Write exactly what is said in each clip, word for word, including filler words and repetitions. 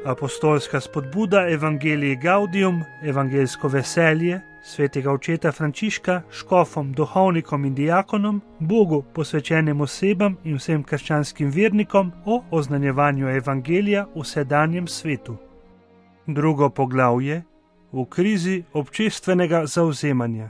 Apostolska spodbuda Evangelii Gaudium, evangeljsko veselje, svetega očeta Frančiška, škofom, duhovnikom in diakonom, Bogu posvečenim osebam in vsem krščanskim vernikom o oznanjevanju evangelija v sedanjem svetu. Drugo poglavje: v krizi občestvenega zavzemanja.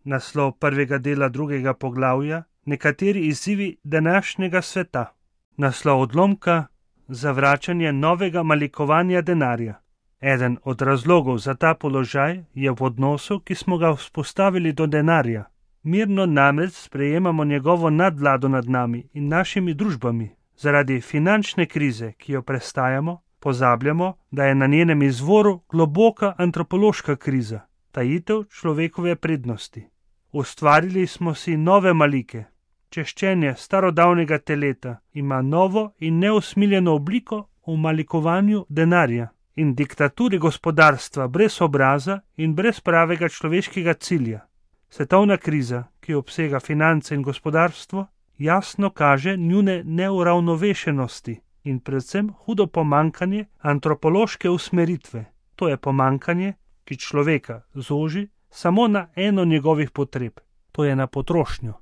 Naslov prvega dela drugega poglavja: nekateri izzivi današnjega sveta. Naslov odlomka: zavračanje novega malikovanja denarja. Eden od razlogov za ta položaj je v odnosu, ki smo ga vzpostavili do denarja. Mirno namreč sprejemamo njegovo nadvlado nad nami in našimi družbami. Zaradi finančne krize, ki jo prestajamo, pozabljamo, da je na njenem izvoru globoka antropološka kriza, tajitev človekove prednosti. Ustvarili smo si nove malike. Češčenje starodavnega teleta ima novo in neusmiljeno obliko v malikovanju denarja in diktaturi gospodarstva brez obraza in brez pravega človeškega cilja. Svetovna kriza, ki obsega finance in gospodarstvo, jasno kaže njune neuravnovešenosti in predvsem hudo pomankanje antropološke usmeritve. To je pomankanje, ki človeka zoži samo na eno njegovih potreb, to je na potrošnjo.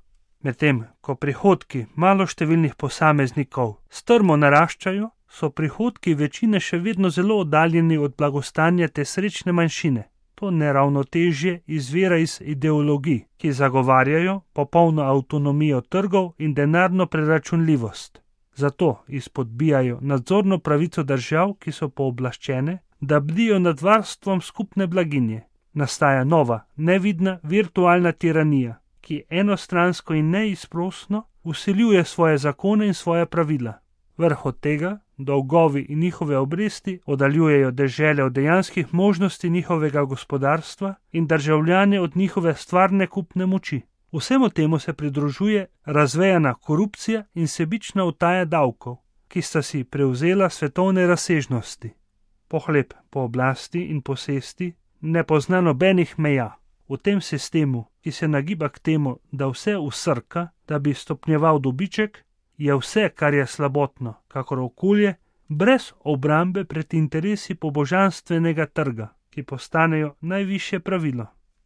Medtem ko prihodki maloštevilnih posameznikov strmo naraščajo, so prihodki večine še vedno zelo oddaljeni od blagostanja te srečne manjšine. To neravnotežje izvira iz ideologij, ki zagovarjajo popolno avtonomijo trgov in denarno preračunljivost. Zato izpodbijajo nadzorno pravico držav, ki so pooblaščene, da bdijo nad varstvom skupne blaginje. Nastaja nova, nevidna, virtualna tiranija, ki enostransko in neizprosno vsiljuje svoje zakone in svoje pravila. Vrh od tega, dolgovi in njihove obresti oddaljujejo dežele od dejanskih možnosti njihovega gospodarstva in državljane od njihove stvarne kupne moči. Vsemu temu se pridružuje razvejana korupcija in sebična utaja davkov, ki sta si prevzela svetovne razsežnosti. Pohlep po oblasti in posesti ne pozna nobenih meja. V tem sistemu, ki se nagiba k temu, da vse usrka, da bi stopnjeval dobiček, je vse, kar je slabotno, kakor okolje, brez obrambe pred interesi pobožanstvenega trga, ki postanejo najvišje pravilo.